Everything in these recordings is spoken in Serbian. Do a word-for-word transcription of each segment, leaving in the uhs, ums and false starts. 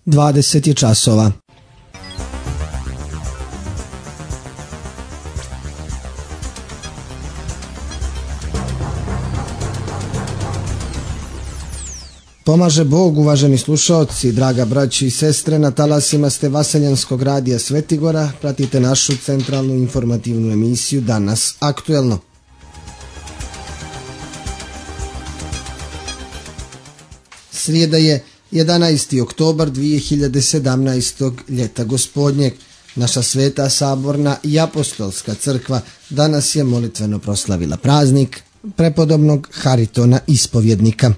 dvadeset je časova. Pomaže Bog, uvaženi slušaoci, draga braći i sestre, na talasima ste Vaseljanskog radija Svetigora, pratite našu centralnu informativnu emisiju Danas aktuelno. Srijeda je jedanaesti oktobar dvije hiljade sedamnaestog ljeta gospodnjeg. Naša sveta saborna i apostolska crkva danas je molitveno proslavila praznik prepodobnog Haritona ispovjednika.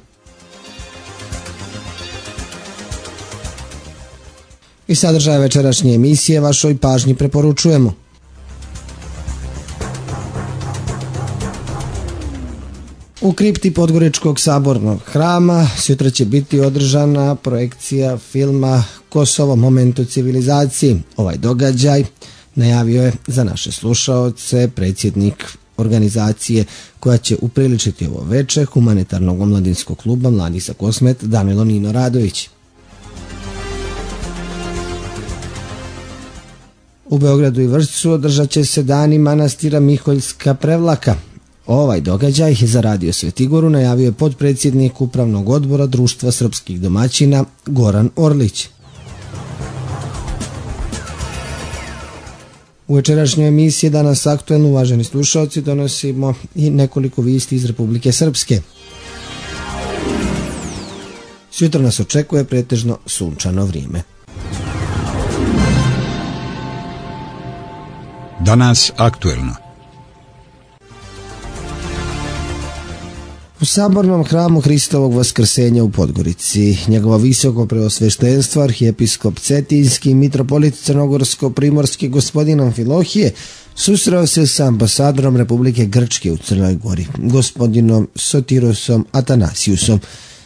I sadržaj večerašnje emisije vašoj pažnji preporučujemo. U kripti Podgoričkog sabornog hrama sutra će biti održana projekcija filma Kosovo, moment u civilizaciji. Ovaj događaj najavio je za naše slušaoce predsjednik organizacije koja će upriličiti ovo veče humanitarnog omladinskog kluba Mladi za Kosmet Danilo Nino Radović. U Beogradu i Vršcu održat će se dani manastira Miholjska Prevlaka. Ovaj događaj za Radio Svetigoru najavio je potpredsjednik Upravnog odbora Društva srpskih domaćina Goran Orlić. U večerašnjoj emisiji Danas aktuelno, uvaženi slušalci, donosimo i nekoliko vijesti iz Republike Srpske. Sutra nas očekuje pretežno sunčano vrijeme. Danas aktuelno. U sabornom hramu Hristovog vaskrsenja u Podgorici njegovo visoko preosveštenstvo arhijepiskop Cetinski mitropolit Crnogorsko-primorski gospodin Amfilohije susreo se sa ambasadorom Republike Grčke u Crnoj Gori, gospodinom Sotirosom Atanasiusom.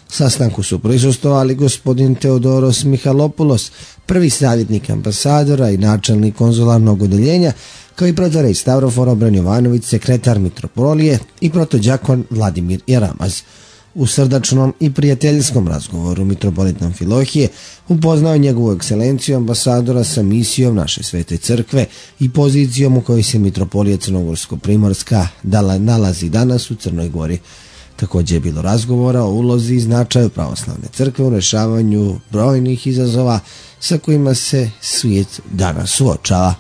Sastanku su prisustvovali gospodin Teodoros Mihalopulos, prvi savjetnik ambasadora i načelnik konzularnog odeljenja, kao i protorej Stavrofor Obran Jovanović, sekretar mitropolije, i protođakon Vladimir Jaramaz. U srdačnom i prijateljskom razgovoru mitropolit Amfilohije upoznao njegovu ekscelenciju ambasadora sa misijom naše svete crkve i pozicijom u kojoj se mitropolija Crnogorsko-primorska nalazi danas u Crnoj Gori. Također je bilo razgovora o ulozi i značaju pravoslavne crkve u rješavanju brojnih izazova sa kojima se svijet danas suočava.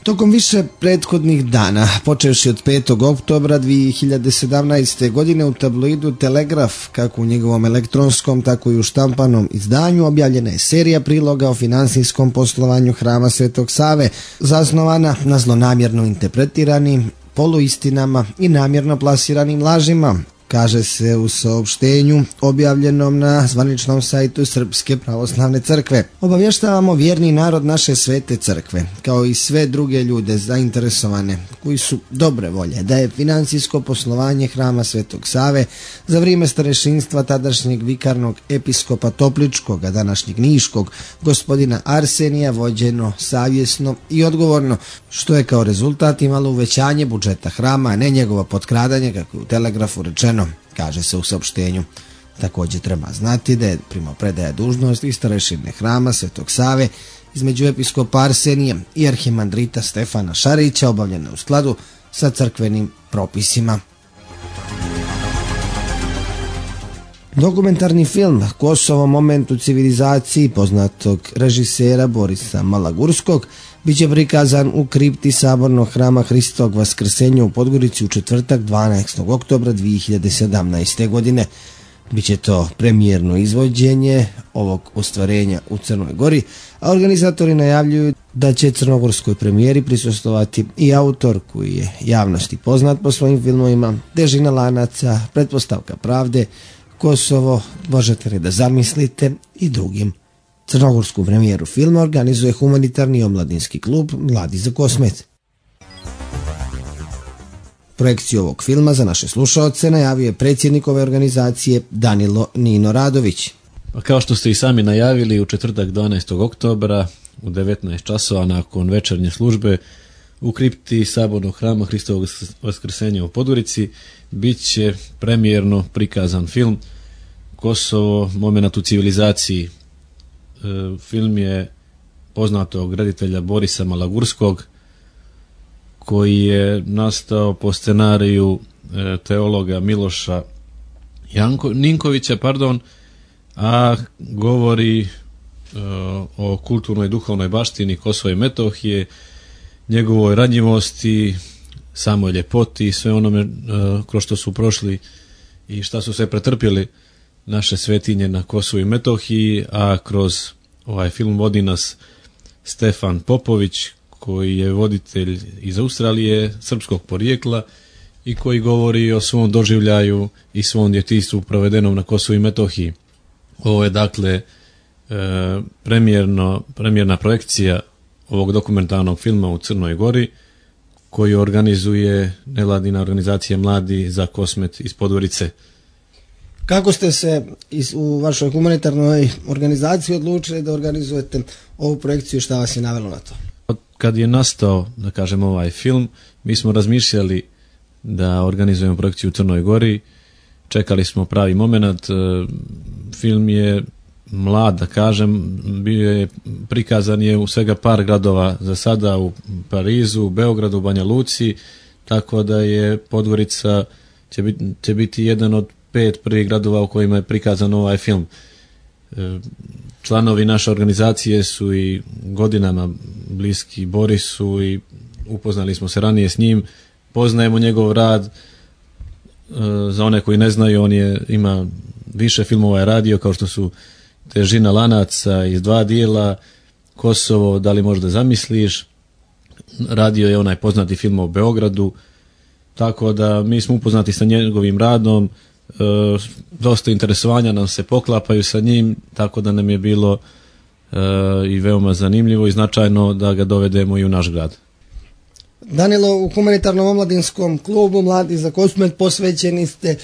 Tokom više prethodnih dana, počevši od petog oktobra dvije hiljade sedamnaeste. godine, u tabloidu Telegraf, kako u njegovom elektronskom, tako i u štampanom izdanju, objavljena je serija priloga o finansijskom poslovanju Hrama Svetog Save, zasnovana na zlonamjerno interpretiranim poluistinama i namjerno plasiranim lažima, kaže se u saopštenju objavljenom na zvaničnom sajtu Srpske pravoslavne crkve. Obavještavamo vjerni narod naše svete crkve, kao i sve druge ljude zainteresovane koji su dobre volje, da je financijsko poslovanje Hrama Svetog Save za vrijeme starešinstva tadašnjeg vikarnog episkopa Topličkog, a današnjeg Niškog, gospodina Arsenija, vođeno savjesno i odgovorno, što je kao rezultat imalo uvećanje budžeta hrama, a ne njegovo potkradanje, kako je u Telegrafu rečeno, kaže se u saopštenju. Također treba znati da je primopredaja dužnosti starešine Hrama Svetog Save između episkopa Arsenija i arhimandrita Stefana Šarića obavljena u skladu sa crkvenim propisima. Dokumentarni film Kosovo, moment u civilizaciji poznatog režisera Borisa Malagurskog biće prikazan u kripti sabornog hrama Hristovog vaskrsenja u Podgorici u četvrtak dvanaestog oktobra dvije hiljade sedamnaeste. godine. Biće to premijerno izvođenje ovog ostvarenja u Crnoj Gori, a organizatori najavljuju da će crnogorskoj premijeri prisustvovati i autor koji je javnosti poznat po svojim filmovima Težina lanaca, Pretpostavka pravde, Kosovo, možete li da zamislite, i drugim. Crnogorsku premijeru filma organizuje humanitarni omladinski klub Mladi za Kosmet. Projekciju ovog filma za naše slušaoce najavio je predsjednik ove organizacije Danilo Nino Radović. Pa kao što ste i sami najavili, u četvrtak dvanaestog oktobra u devetnaest časova nakon večernje službe u kripti sabornog hrama Hristovog vaskrsenja u Podgorici bit će premijerno prikazan film Kosovo, momenat u civilizaciji. E, film je poznatog reditelja Borisa Malagurskog, koji je nastao po scenariju e, teologa Miloša Janko, Ninkovića, pardon, a govori e, o kulturnoj i duhovnoj baštini Kosova i Metohije, njegovoj ranjivosti, samoj ljepoti, sve onome e, kroz što su prošli i šta su sve pretrpjeli naše svetinje na Kosovu i Metohiji, a kroz ovaj film vodi nas Stefan Popović, koji je voditelj iz Australije, srpskog porijekla i koji govori o svom doživljaju i svom djetinjstvu provedenom na Kosovu i Metohiji. Ovo je dakle e, premijerno, premijerna projekcija ovog dokumentarnog filma u Crnoj Gori, koju organizuje nevladina organizacija Mladi za Kosmet iz Podgorice. Kako ste se u vašoj humanitarnoj organizaciji odlučili da organizujete ovu projekciju, šta vas je navelo na to? Kad je nastao, da kažem, ovaj film, mi smo razmišljali da organizujemo projekciju u Crnoj Gori, čekali smo pravi moment. Film je mlad, da kažem, bio je prikazan je u svega par gradova za sada, u Parizu, u Beogradu, u Banja Luci, tako da je Podgorica će biti, će biti jedan od pet prvih gradova u kojima je prikazan ovaj film. Članovi naše organizacije su i godinama bliski Borisu i upoznali smo se ranije s njim, poznajemo njegov rad. Za one koji ne znaju, on je ima više filmova je radio, kao što su Težina lanaca iz dva dijela, Kosovo, da li možda zamisliš, radio je onaj poznati film o Beogradu, tako da mi smo upoznati sa njegovim radom, e, dosta interesovanja nam se poklapaju sa njim, tako da nam je bilo e, i veoma zanimljivo i značajno da ga dovedemo i u naš grad. Danilo, u humanitarnom omladinskom klubu Mladi za Kosmet posvećeni ste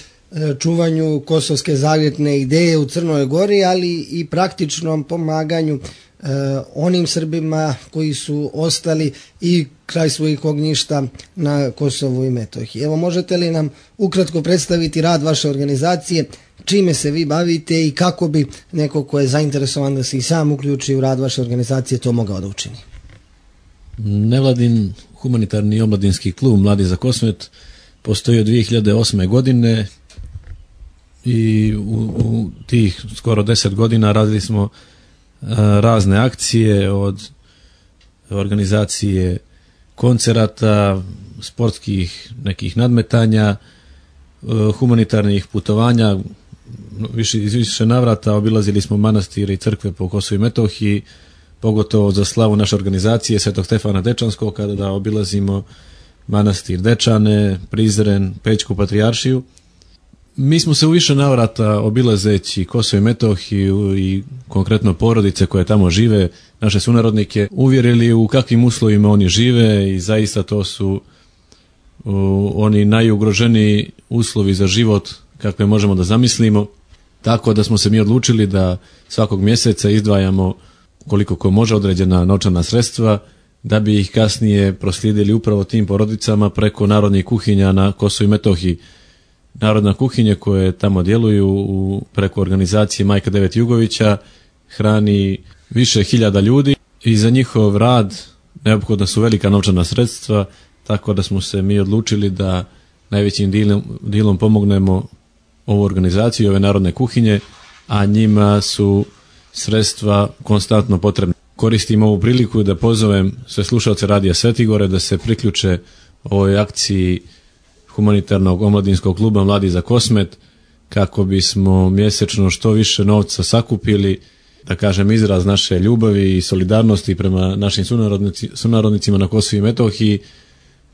čuvanju kosovske zavjetne ideje u Crnoj Gori, ali i praktičnom pomaganju e, onim Srbima koji su ostali i kraj svojih ognjišta na Kosovu i Metohiji. Evo, možete li nam ukratko predstaviti rad vaše organizacije, čime se vi bavite i kako bi neko ko je zainteresovan da se i sam uključi u rad vaše organizacije to mogao da učini? Nevladin humanitarni omladinski klub Mladi za Kosmet postoji od dvije hiljade osme. godine i u, u tih skoro deset godina radili smo a, razne akcije, od organizacije koncerata, sportskih nekih nadmetanja, a, humanitarnih putovanja, više, iz više navrata obilazili smo manastire i crkve po Kosovu i Metohiji, pogotovo za slavu naše organizacije Svetog Stefana Dečanskog, kada da obilazimo manastir Dečane, Prizren, Pećku patrijaršiju. Mi smo se u više navrata obilazeći Kosovo i Metohiju i konkretno porodice koje tamo žive, naše sunarodnike, uvjerili u kakvim uslovima oni žive i zaista to su u, oni najugroženiji uslovi za život kakve možemo da zamislimo. Tako da smo se mi odlučili da svakog mjeseca izdvajamo koliko ko može određena novčana sredstva da bi ih kasnije proslijedili upravo tim porodicama preko narodnih kuhinja na Kosovu i Metohiji. Narodna kuhinja koje tamo djeluju u, preko organizacije Majka Devet Jugovića hrani više hiljada ljudi i za njihov rad neophodna su velika novčana sredstva, tako da smo se mi odlučili da najvećim dilom, dilom pomognemo ovu organizaciju, ove narodne kuhinje, a njima su sredstva konstantno potrebna. Koristim ovu priliku da pozovem sve slušalce Radija Svetigore da se priključe ovoj akciji humanitarnog omladinskog kluba Mladi za Kosmet, kako bismo mjesečno što više novca sakupili, da kažem izraz naše ljubavi i solidarnosti prema našim sunarodnici, sunarodnicima na Kosovu i Metohiji,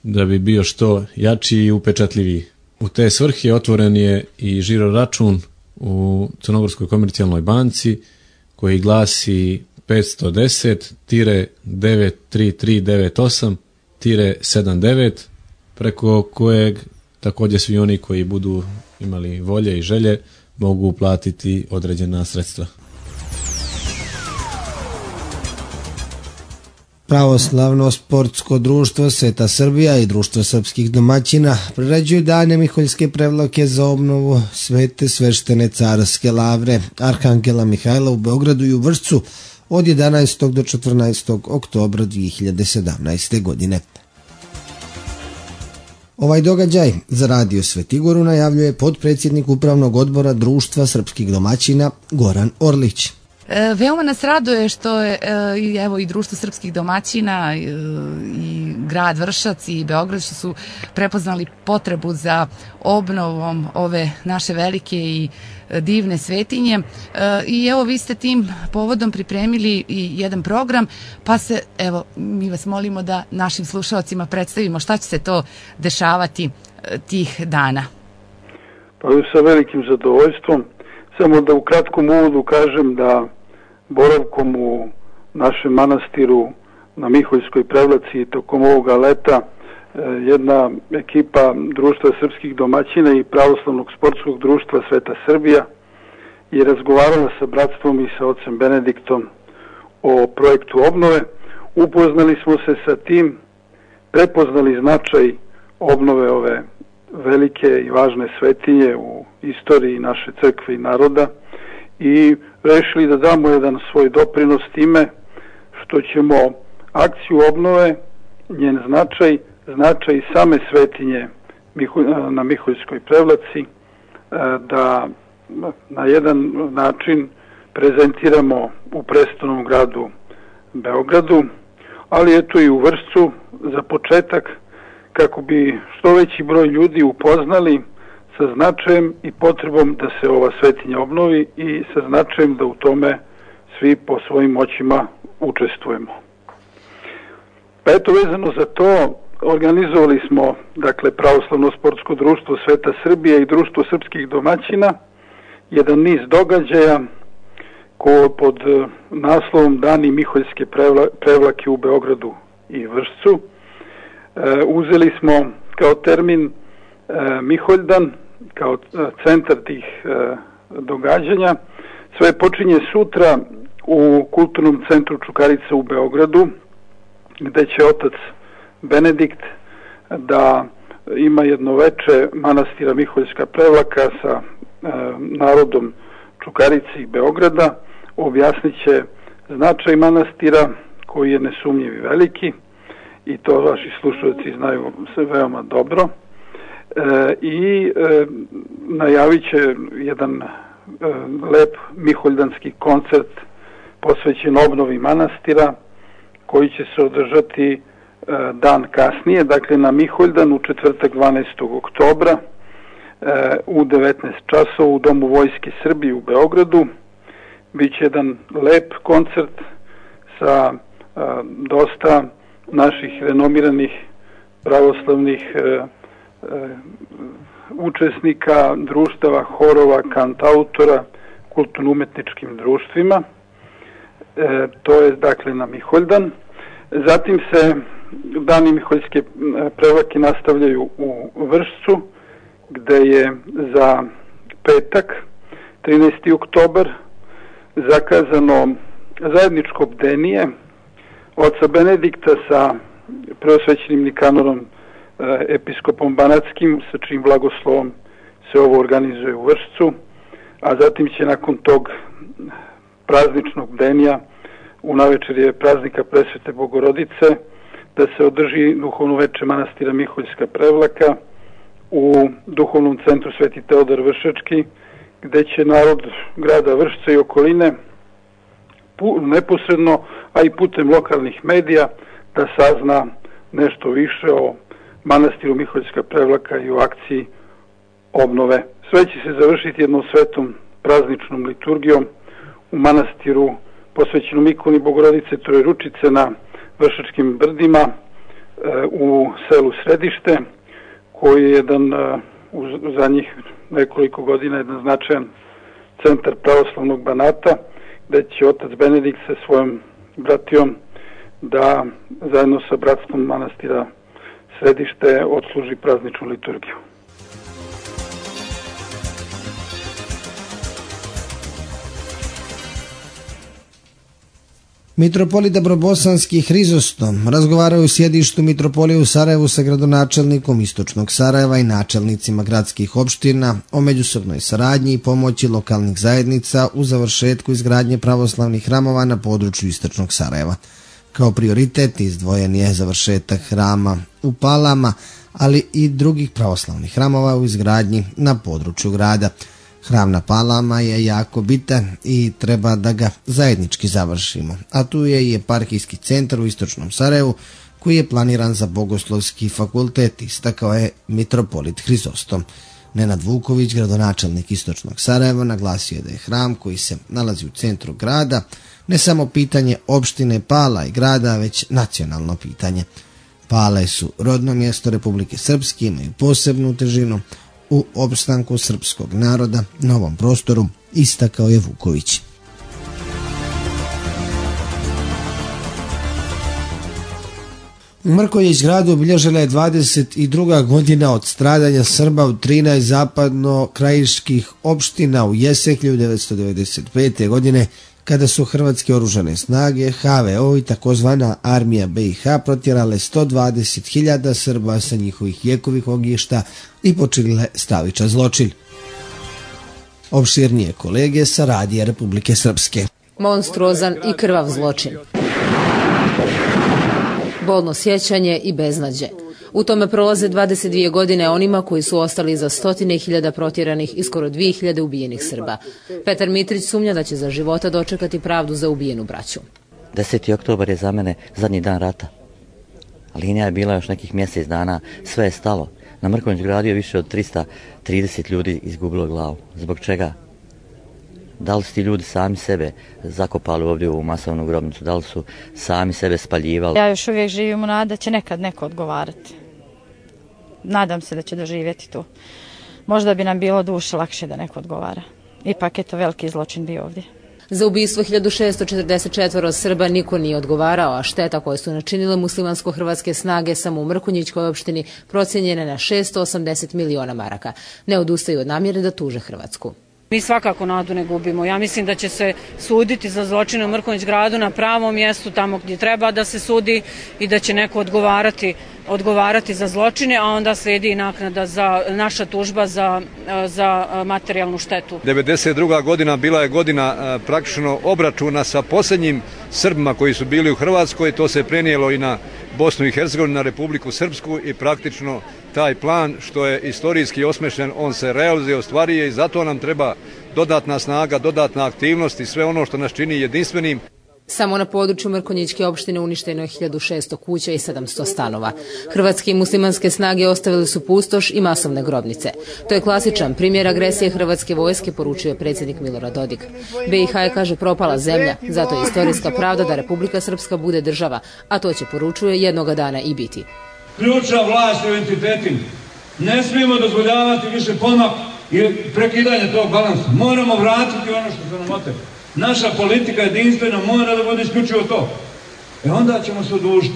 da bi bio što jači i upečatljiviji. U te svrhe otvoren je i žiro račun u Crnogorskoj komercijalnoj banci koji glasi petsto deset devet tri tri devet osam sedam devet, preko kojeg također svi oni koji budu imali volje i želje mogu uplatiti određena sredstva. Pravoslavno sportsko društvo Sveta Srbija i Društvo srpskih domaćina priređuju dane Miholjske prevlake za obnovu Svete sveštene carske lavre Arhangela Mihajla u Beogradu i u Vršcu od jedanaestog do četrnaestog oktobra dvije hiljade sedamnaeste. godine. Ovaj događaj za Radio Svetigoru najavljuje potpredsjednik Upravnog odbora Društva srpskih domaćina Goran Orlić. E, veoma nas raduje što je e, evo i Društvo srpskih domaćina e, i grad Vršac i Beograd što su prepoznali potrebu za obnovom ove naše velike i divne svetinje. E, I evo vi ste tim povodom pripremili i jedan program, pa se evo mi vas molimo da našim slušalcima predstavimo šta će se to dešavati e, tih dana. Pa sa velikim zadovoljstvom. Samo da u kratkom uvodu kažem da boravkom u našem manastiru na Miholjskoj prevlaci tokom ovoga leta jedna ekipa Društva srpskih domaćina i Pravoslavnog sportskog društva Sveta Srbija je razgovarala sa bratstvom i sa ocem Benediktom o projektu obnove. Upoznali smo se sa tim, prepoznali značaj obnove ove velike i važne svetinje u istoriji naše crkve i naroda i rešili da damo jedan svoj doprinos time što ćemo akciju obnove, njen značaj, značaj same svetinje na Miholjskoj prevlaci da na jedan način prezentiramo u prestolnom gradu Beogradu, ali eto i u Vršcu za početak kako bi što veći broj ljudi upoznali sa značajem i potrebom da se ova svetinja obnovi i sa značajem da u tome svi po svojim moćima učestvujemo. Pa eto, vezano za to, organizovali smo, dakle, Pravoslavno sportsko društvo Sveta Srbija i Društvo srpskih domaćina, jedan niz događaja ko pod naslovom Dani Miholjske prevla, prevlake u Beogradu i Vršcu. E, uzeli smo kao termin e, Miholjdan, kao centar tih e, događanja. Sve počinje sutra u Kulturnom centru Čukarica u Beogradu, gde će otac Benedikt da ima jedno veče manastira Miholjska prevlaka sa e, narodom Čukarice i Beograda. Objasnit će značaj manastira koji je nesumnjiv i veliki i to vaši slušalci znaju se veoma dobro. E, i e, najavit će jedan e, lep miholjdanski koncert posvećen obnovi manastira koji će se održati e, dan kasnije, dakle na Miholjdan u četvrtak dvanaestog oktobra e, u devetnaest časova u Domu Vojske Srbije u Beogradu. Biće jedan lep koncert sa e, dosta naših renomiranih pravoslavnih e, učesnika, društava, horova, kantautora, kulturno-umetničkim društvima. E, to je dakle na Miholjdan. Zatim se dani Miholjske prevlake nastavljaju u Vršcu, gde je za petak, trinaesti oktobar, zakazano zajedničko bdenije oca Benedikta sa preosvećenim Nikanorom episkopom Banatskim, sa čijim blagoslovom se ovo organizuje u Vršcu, a zatim će nakon tog prazničnog bdenija, u navečerje praznika Presvete Bogorodice, da se održi duhovno veče manastira Miholjska prevlaka u duhovnom centru Sveti Teodor Vršački, gde će narod grada Vršca i okoline neposredno, a i putem lokalnih medija da sazna nešto više o manastiru Miholjska prevlaka i u akciji obnove. Sve će se završiti jednom svetom prazničnom liturgijom u manastiru posvećenom ikoni Bogorodice Trojeručice na Vršačkim brdima u selu Središte, koji je jedan u zadnjih nekoliko godina jedan značajan centar pravoslavnog Banata, gde će otac Benedikt sa svojom bratijom da zajedno sa bratstvom manastira Središte odsluži prazničnu liturgiju. Mitropolit Dabrobosanski Hrizostom razgovaraju u sjedištu Mitropolije u Sarajevu sa gradonačelnikom Istočnog Sarajeva i načelnicima gradskih opština o međusobnoj saradnji i pomoći lokalnih zajednica u završetku izgradnje pravoslavnih hramova na području Istočnog Sarajeva. Kao prioritet izdvojen je završetak hrama u Palama, ali i drugih pravoslavnih hramova u izgradnji na području grada. Hram na Palama je jako bitan i treba da ga zajednički završimo, a tu je i eparhijski centar u Istočnom Sarajevu koji je planiran za Bogoslovski fakultet, istakao je mitropolit Hrizostom. Nenad Vuković, gradonačelnik Istočnog Sarajeva, naglasio je da je hram koji se nalazi u centru grada ne samo pitanje opštine Pala i grada, već nacionalno pitanje. Pale su rodno mjesto Republike Srpske, imaju posebnu težinu u opstanku srpskog naroda na ovom prostoru, istakao je Vuković. U Mrkonjić gradu obilježila je dvadeset druga godina od stradanja Srba u trinaest zapadno-krajiških opština u jesen hiljadu devetsto devedeset pete. godine, kada su hrvatske oružane snage, H V O i takozvana armija B i H protjerale sto dvadeset hiljada Srba sa njihovih vjekovih ognjišta i počinile stravičan zločin. Opširnije kolege sa radija Republike Srpske. Monstruozan i krvav zločin. Bolno sjećanje i beznađe. U tome prolaze dvadeset dvije godine onima koji su ostali za stotine hiljada protjeranih i skoro dvije hiljade ubijenih Srba. Petar Mitrić sumnja da će za života dočekati pravdu za ubijenu braću. deseti oktobar je za mene zadnji dan rata. Linija je bila još nekih mjesec dana, sve je stalo. Na Mrkonjić gradu je više od trista trideset ljudi izgubilo glavu. Zbog čega? Da li su ti ljudi sami sebe zakopali ovdje u masovnu grobnicu? Da li su sami sebe spaljivali? Ja još uvijek živim u nadi da će nekad neko odgovarati. Nadam se da će doživjeti tu. Možda bi nam bilo duše lakše da neko odgovara. Ipak je to veliki zločin bio ovdje. Za ubistvo hiljadu šesto četrdeset četiri Srba niko nije odgovarao, a šteta koje su načinile muslimansko-hrvatske snage samo u Mrkonjićkoj opštini procijenjene na šesto osamdeset miliona maraka. Ne odustaju od namjere da tuže Hrvatsku. Mi svakako nadu ne gubimo. Ja mislim da će se suditi za zločine u Mrkonjić gradu na pravom mjestu, tamo gdje treba da se sudi, i da će neko odgovarati, odgovarati za zločine, a onda slijedi i naknada za naša tužba za, za materijalnu štetu. devedeset druga godina bila je godina praktično obračuna sa posljednjim Srbima koji su bili u Hrvatskoj. To se prenijelo i na Bosnu i Hercegovinu, na Republiku Srpsku, i praktično taj plan što je istorijski osmišljen, on se realizuje, ostvaruje, i zato nam treba dodatna snaga, dodatna aktivnost i sve ono što nas čini jedinstvenim. Samo na području Mrkonjićke opštine uništeno je hiljadu šesto kuća i sedamsto stanova. Hrvatske i muslimanske snage ostavili su pustoš i masovne grobnice. To je klasičan primjer agresije hrvatske vojske, poručio je predsjednik Milorad Dodik. B i H je, kaže, propala zemlja, zato je istorijska pravda da Republika Srpska bude država, a to će, poručuje, jednoga dana i biti. Ključna vlast u entitetima. Ne smijemo dozvoljavati više pomak i prekidanje tog balansa. Moramo vratiti ono što se nam otelo. Naša politika jedinstvena mora da bude isključivo to. E onda ćemo se odužiti.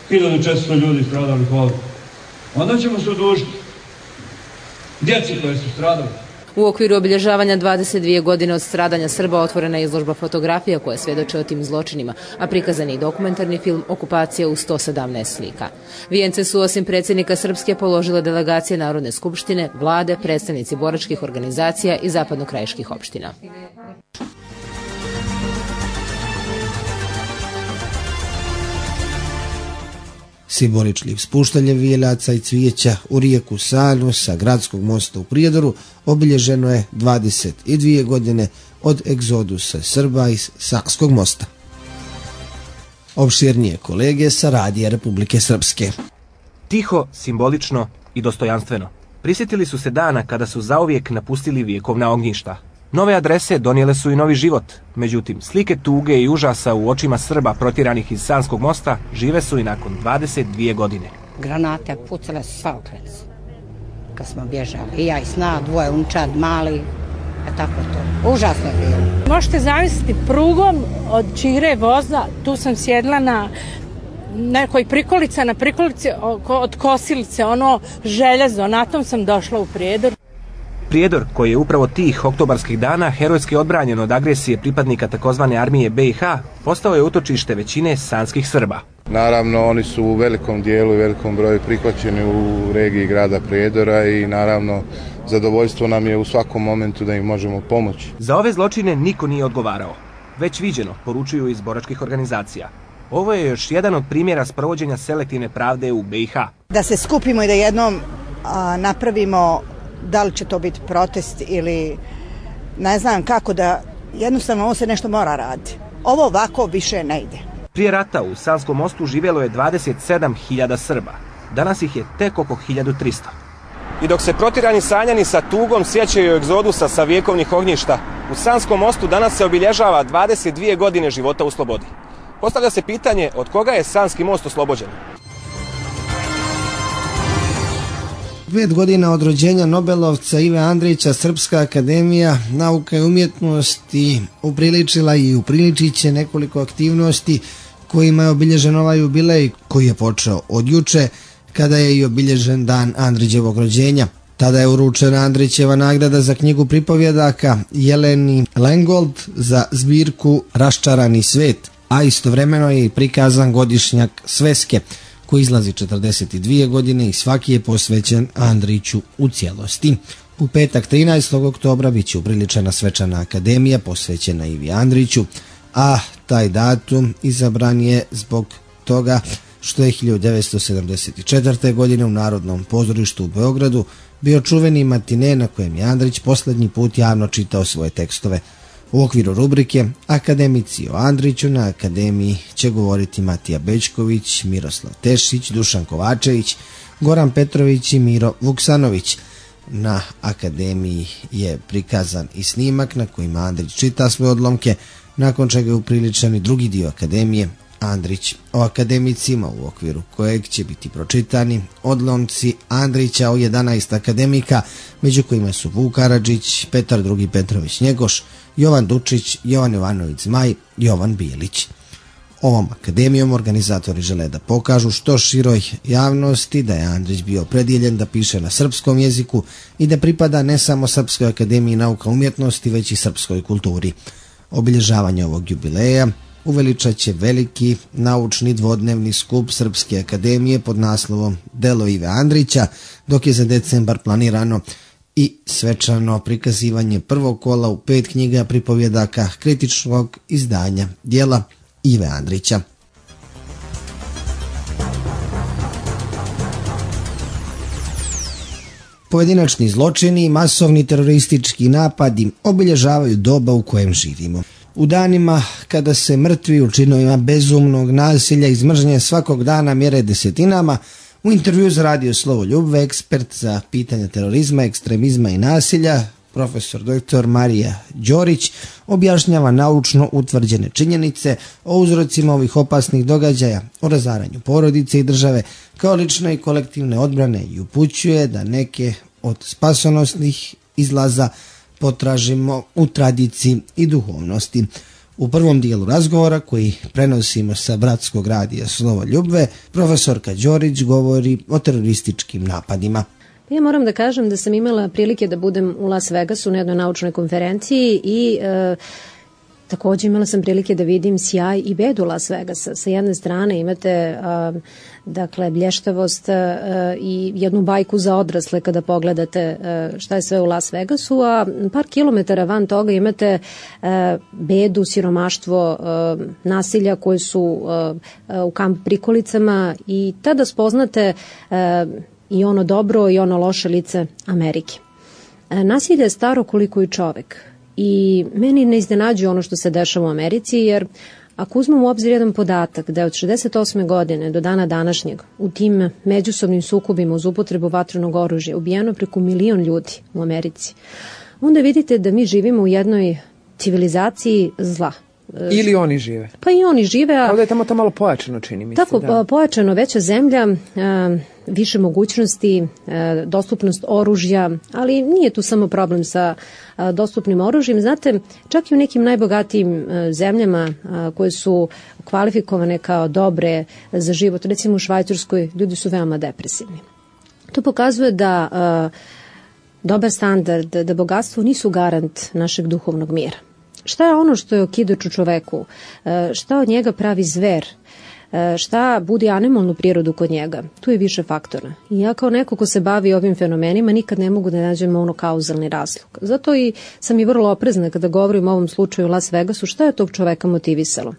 hiljadu četiristo ljudi stradalih ovdje. Onda ćemo se odužiti djeci koje su stradali. U okviru obilježavanja dvadeset dvije godine od stradanja Srba otvorena je izložba fotografija koja svjedoče o tim zločinima, a prikazan je i dokumentarni film Okupacija u sto sedamnaest slika. Vijence su osim predsjednika Srpske položile delegacije Narodne skupštine, vlade, predstavnici boračkih organizacija i zapadno-krajiških opština. Simboličnim spuštanjem vijenaca i cvijeća u rijeku Sanu sa gradskog mosta u Prijedoru obilježeno je dvadeset dvije godine od egzodusa Srba iz Sanskog mosta. Opširnije kolege sa radija Republike Srpske. Tiho, simbolično i dostojanstveno. Prisjetili su se dana kada su zauvijek napustili vjekovna ognjišta. Nove adrese donijele su i novi život, međutim slike tuge i užasa u očima Srba protjeranih iz Sanskog mosta žive su i nakon dvadeset dvije godine. Granate pucale su svaokrec kad smo bježali. I ja i sna, dvoje unčad, mali, a tako to. Užasno je bilo. Možete zamisliti prugom od Čire voza, tu sam sjedla na nekoj prikolica, na prikolici od kosilice, ono željezo, na tom sam došla u Prijedor. Prijedor, koji je upravo tih oktobarskih dana herojski odbranjen od agresije pripadnika takozvane armije B i H, postao je utočište većine sanskih Srba. Naravno, oni su u velikom dijelu i velikom broju prihvaćeni u regiji grada Prijedora i naravno zadovoljstvo nam je u svakom momentu da im možemo pomoći. Za ove zločine niko nije odgovarao. Već viđeno, poručuju iz boračkih organizacija. Ovo je još jedan od primjera sprovođenja selektivne pravde u B i H. Da se skupimo i da jednom a, napravimo, da li će to biti protest ili ne znam kako, da jednostavno ovo se nešto mora raditi. Ovo ovako više ne ide. Prije rata u Sanskom mostu živjelo je dvadeset sedam hiljada Srba. Danas ih je tek oko hiljadu trista. I dok se protirani sanjani sa tugom sjećaju egzodusa sa vjekovnih ognjišta, u Sanskom mostu danas se obilježava dvadeset dvije godine života u slobodi. Postavlja se pitanje od koga je Sanski most oslobođen. Pet godina od rođenja Nobelovca Ive Andrića Srpska akademija nauka i umjetnosti upriličila i upriličit će nekoliko aktivnosti kojima je obilježen ovaj jubilej koji je počeo od juče kada je i obilježen dan Andrićevog rođenja. Tada je uručena Andrićeva nagrada za knjigu pripovjedaka Jeleni Lengold za zbirku Raščarani svet, a istovremeno je i prikazan godišnjak Sveske koji izlazi četrdeset dvije godine i svaki je posvećen Andriću u cijelosti. U petak trinaestog oktobra bit će upriličena svečana akademija posvećena Ivi Andriću, a taj datum izabran je zbog toga što je hiljadu devetsto sedamdeset četvrte. godine u Narodnom pozorištu u Beogradu bio čuveni matine na kojem je Andrić posljednji put javno čitao svoje tekstove. U okviru rubrike Akademici o Andriću na akademiji će govoriti Matija Bećković, Miroslav Tešić, Dušan Kovačević, Goran Petrović i Miro Vuksanović. Na akademiji je prikazan i snimak na kojima Andrić čita svoje odlomke, nakon čega je upriličen i drugi dio akademije Andrić o akademicima, u okviru kojeg će biti pročitani odlomci Andrića o jedanaest akademika, među kojima su Vuk Karadžić, Petar drugi Petrović Njegoš, Jovan Dučić, Jovan Jovanović Zmaj, Jovan Bilić. Ovom akademijom organizatori žele da pokažu što široj javnosti da je Andrić bio opredjeljen da piše na srpskom jeziku i da pripada ne samo Srpskoj akademiji nauka umjetnosti, već i srpskoj kulturi. Obilježavanje ovog jubileja uveličat će veliki naučni dvodnevni skup Srpske akademije pod naslovom Delo Ive Andrića, dok je za decembar planirano i svečano prikazivanje prvog kola u pet knjiga pripovjedaka kritičnog izdanja djela Ive Andrića. Pojedinačni zločini i masovni teroristički napadi obilježavaju doba u kojem živimo. U danima kada se mrtvi u činovima bezumnog nasilja iz mržnje svakog dana mjere desetinama, u intervju za radio Slovo Ljubve ekspert za pitanja terorizma, ekstremizma i nasilja, profesor doktor Marija Đorić, objašnjava naučno utvrđene činjenice o uzrocima ovih opasnih događaja, o razaranju porodice i države, kao lične i kolektivne odbrane i upućuje da neke od spasonosnih izlaza potražimo u tradiciji i duhovnosti. U prvom dijelu razgovora koji prenosimo sa bratskog radija Slovo Ljubve, profesorka Đorić govori o terorističkim napadima. Ja moram da kažem da sam imala prilike da budem u Las Vegasu na jednoj naučnoj konferenciji i e, također imala sam prilike da vidim sjaj i bedu Las Vegasa. Sa jedne strane imate a, dakle blještavost a, i jednu bajku za odrasle kada pogledate a, šta je sve u Las Vegasu, a par kilometara van toga imate a, bedu, siromaštvo, a, nasilja koje su a, a, u kamp prikolicama i tada spoznate a, i ono dobro i ono loše lice Amerike. A, nasilje je staro koliko i čovek. I meni ne iznenađuje ono što se dešava u Americi, jer ako uzmemo u obzir jedan podatak da je od šezdeset osme godine do dana današnjeg u tim međusobnim sukobima uz upotrebu vatrenog oružja ubijeno preko milion ljudi u Americi, onda vidite da mi živimo u jednoj civilizaciji zla. Ili oni žive. Pa i oni žive. A... Ovdje je tamo to malo pojačano, čini mi se. Tako, da. Pojačano, veća zemlja, više mogućnosti, dostupnost oružja, ali nije tu samo problem sa dostupnim oružjem. Znate, čak i u nekim najbogatijim zemljama koje su kvalifikovane kao dobre za život, recimo u Švajcarskoj, ljudi su veoma depresivni. To pokazuje da dobar standard, da bogatstvo nisu garant našeg duhovnog mira. Šta je ono što je okidač u čoveku? Šta od njega pravi zver? Šta budi animalnu prirodu kod njega? Tu je više faktora. I ja kao neko ko se bavi ovim fenomenima nikad ne mogu da nađem ono kauzalni razlog. Zato i sam i vrlo oprezna kada govorim o ovom slučaju u Las Vegasu, šta je tog čoveka motivisalo?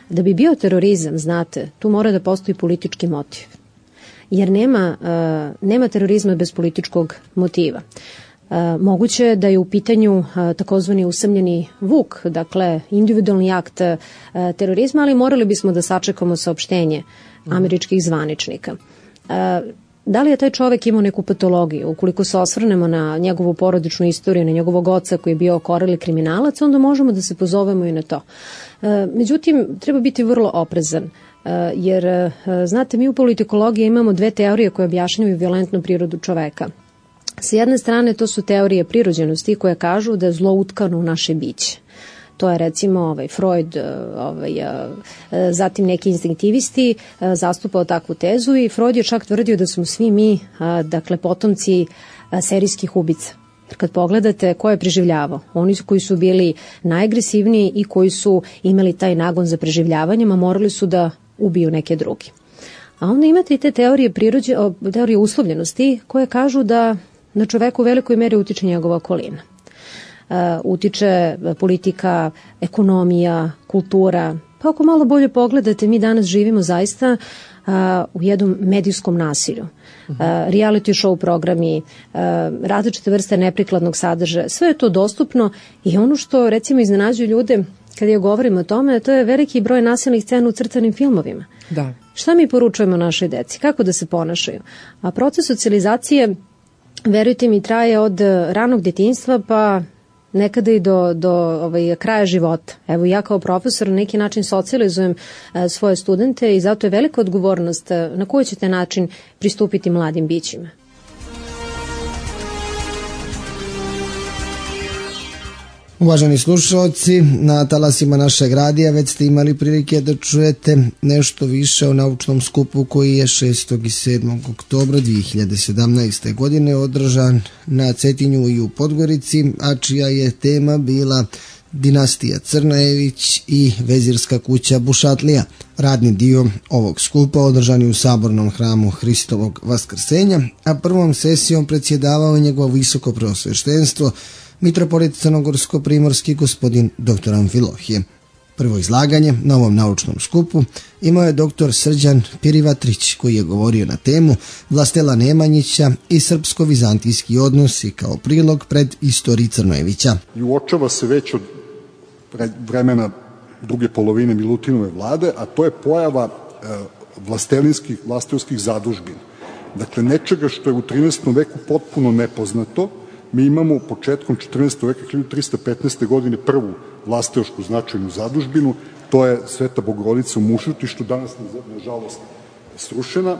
Da bi bio terorizam, znate, tu mora da postoji politički motiv. Jer nema, uh, nema terorizma bez političkog motiva. Uh, moguće je da je u pitanju uh, takozvani usamljeni vuk, dakle individualni akt uh, terorizma, ali morali bismo da sačekamo saopštenje američkih zvaničnika. Uh, Da li je taj čovek imao neku patologiju? Ukoliko se osvrnemo na njegovu porodičnu istoriju, na njegovog oca koji je bio okoreli kriminalac, onda možemo da se pozovemo i na to. Međutim, treba biti vrlo oprezan, jer, znate, mi u politikologiji imamo dve teorije koje objašnjavaju violentnu prirodu čoveka. Sa jedne strane, to su teorije prirođenosti koje kažu da je zlo utkano u naše biće. To je recimo ovaj Freud, ovaj, zatim neki instinktivisti zastupao takvu tezu i Freud je čak tvrdio da smo svi mi, dakle, potomci serijskih ubica. Kad pogledate ko je preživljavao, oni koji su bili najagresivniji i koji su imali taj nagon za preživljavanjem, a morali su da ubiju neke drugi. A onda imate i te teorije, prirođe, teorije uslovljenosti koje kažu da na čoveku u velikoj meri utiče njegova okolina. Uh, utiče politika, ekonomija, kultura. Pa ako malo bolje pogledate, mi danas živimo zaista uh, u jednom medijskom nasilju. Uh, reality show programi, uh, različite vrste neprikladnog sadržaja, sve je to dostupno i ono što recimo iznenađuje ljude kada ja govorim o tome, to je veliki broj nasilnih scena u crtanim filmovima. Da. Šta mi poručujemo našoj deci? Kako da se ponašaju? A proces socijalizacije, verujte mi, traje od ranog djetinjstva pa nekada i do, do ovaj, kraja života. Evo ja kao profesor na neki način socijalizujem e, svoje studente i zato je velika odgovornost e, na koji ćete način pristupiti mladim bićima. Uvaženi slušalci, na talasima našeg radija već ste imali prilike da čujete nešto više o naučnom skupu koji je šestog i sedmog oktobra dvije hiljade sedamnaeste. godine održan na Cetinju i u Podgorici, a čija je tema bila dinastija Crnajević i vezirska kuća Bušatlija. Radni dio ovog skupa održan je u Sabornom hramu Hristovog Vaskrsenja, a prvom sesijom predsjedavao njegovo visoko preosveštenstvo mitropolit crnogorsko-primorski gospodin doktor Amfilohije. Prvo izlaganje na ovom naučnom skupu imao je doktor Srđan Pirivatrić koji je govorio na temu Vlastela Nemanjića i srpsko-vizantijski odnosi kao prilog pred istoriji Crnojevića. I uočava se već od vremena druge polovine Milutinove vlade, a to je pojava e, vlastelinskih, vlastelskih zadužbina. Dakle, nečega što je u trinaestom veku potpuno nepoznato. Mi imamo početkom četrnaestog veka, hiljadu trista petnaeste. godine, prvu vlasteošku značajnu zadužbinu, to je Sveta Bogorodica u Mušutištu, danas nažalost srušena,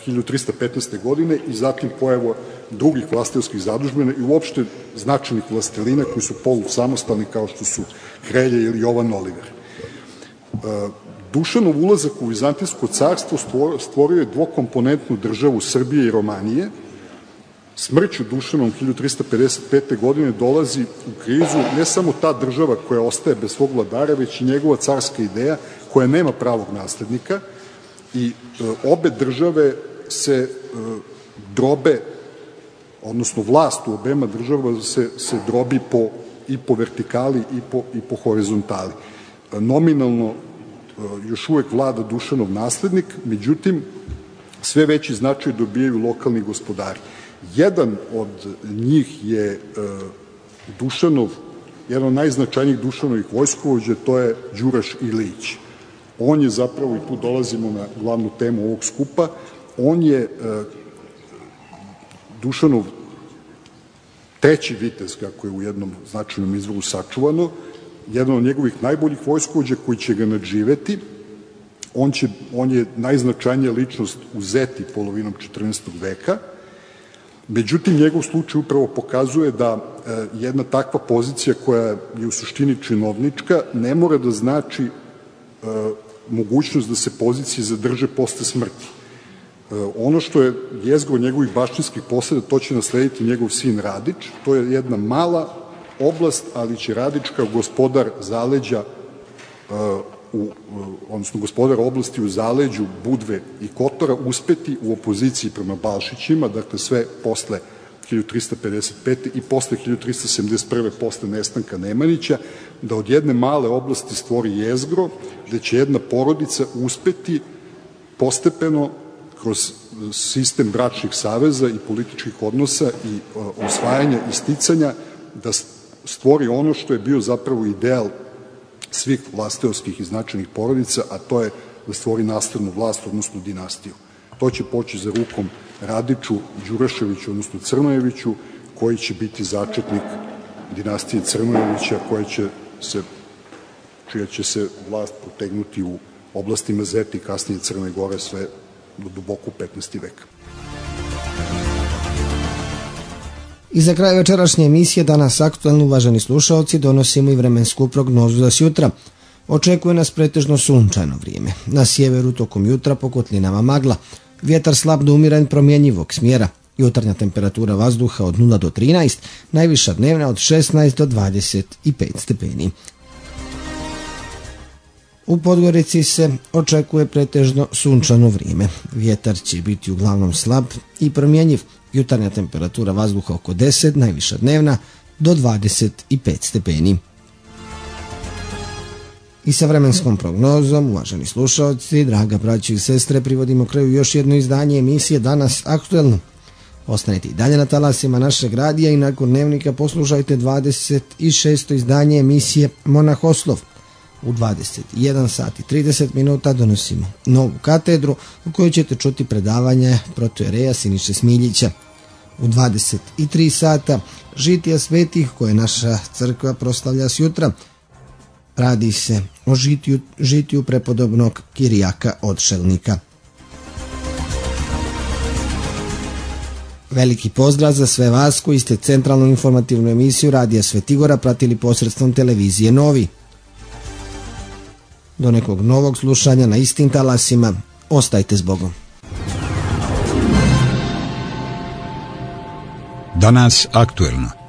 hiljadu trista petnaeste. godine i zatim pojavu drugih vlasteoskih zadužbina i uopšte značajnih vlastelina koji su polusamostalni kao što su Hrelje ili Jovan Oliver. Dušanov ulazak u Vizantijsko carstvo stvorio je dvokomponentnu državu Srbije i Romanije. Smrću Dušanom hiljadu trista pedeset pete. godine dolazi u krizu ne samo ta država koja ostaje bez svog vladara, već i njegova carska ideja koja nema pravog naslednika i e, obe države se e, drobe, odnosno vlast u obema država se, se drobi po, i po vertikali i po, i po horizontali. E, nominalno e, još uvek vlada Dušanov naslednik, međutim sve veći značaj dobijaju lokalni gospodari. Jedan od njih je e, Dušanov, jedan od najznačajnijih Dušanovih vojskovođa, to je Đuraš Ilić. On je zapravo, i tu dolazimo na glavnu temu ovog skupa, on je e, Dušanov treći vitez, kako je u jednom značajnom izvoru sačuvano, jedan od njegovih najboljih vojskovođa koji će ga nadživeti. On, će, on je najznačajnija ličnost u Zeti polovinom četrnaestog veka. Međutim, njegov slučaj upravo pokazuje da e, jedna takva pozicija koja je u suštini činovnička ne mora da znači e, mogućnost da se pozicije zadrže posle smrti. Ono što je jezgro njegovih baštinskih poseda, to će naslediti njegov sin Radić. To je jedna mala oblast, ali će Radić kao gospodar zaleđa, u, odnosno gospodar oblasti u zaleđu Budve i Kotora uspeti u opoziciji prema Balšićima, dakle sve posle hiljadu trista pedeset pete. i posle hiljadu trista sedamdeset prve. posle nestanka Nemanjića, da od jedne male oblasti stvori jezgro, gde će jedna porodica uspeti postepeno kroz sistem bračnih saveza i političkih odnosa i osvajanja i sticanja da stvori ono što je bio zapravo ideal svih vlasteovskih i značajnih porodica, a to je da stvori nastavnu vlast, odnosno dinastiju. To će poći za rukom Radiću, Đuraševiću, odnosno Crnojeviću, koji će biti začetnik dinastije Crnojevića, koja će se, čija će se vlast protegnuti u oblastima Zeti, kasnije Crne Gore, sve do duboko petnaesti veka. I za kraj večerašnje emisije Danas aktuelno, uvaženi slušaoci, donosimo i vremensku prognozu za sjutra. Očekuje nas pretežno sunčano vrijeme. Na sjeveru tokom jutra po kotlinama magla. Vjetar slab do umiren promjenjivog smjera. Jutarnja temperatura vazduha od nula do trinaest, najviša dnevna od šesnaest do dvadeset pet stepeni. U Podgorici se očekuje pretežno sunčano vrijeme. Vjetar će biti uglavnom slab i promjenjiv. Jutarnja temperatura vazduha oko deset, najviša dnevna do dvadeset pet stepeni. I sa vremenskom prognozom, uvaženi slušalci, draga braćo i sestre, privodimo kraju još jedno izdanje emisije Danas aktuelno. Ostanite i dalje na talasima našeg radija i nakon dnevnika poslušajte dvadeset šesto izdanje emisije Monahoslov. U dvadeset jedan sat i trideset minuta donosimo novu katedru u kojoj ćete čuti predavanje protojereja Siniše Smiljića. U dvadeset tri sata žitija svetih koje naša crkva proslavlja sjutra. Radi se o žitiju, žitiju prepodobnog Kirijaka Odšelnika. Veliki pozdrav za sve vas koji ste centralnu informativnu emisiju Radija Svetigora pratili posredstvom televizije Novi. Do nekog novog slušanja na istim talasima, ostajte s Bogom. Danas aktuelno.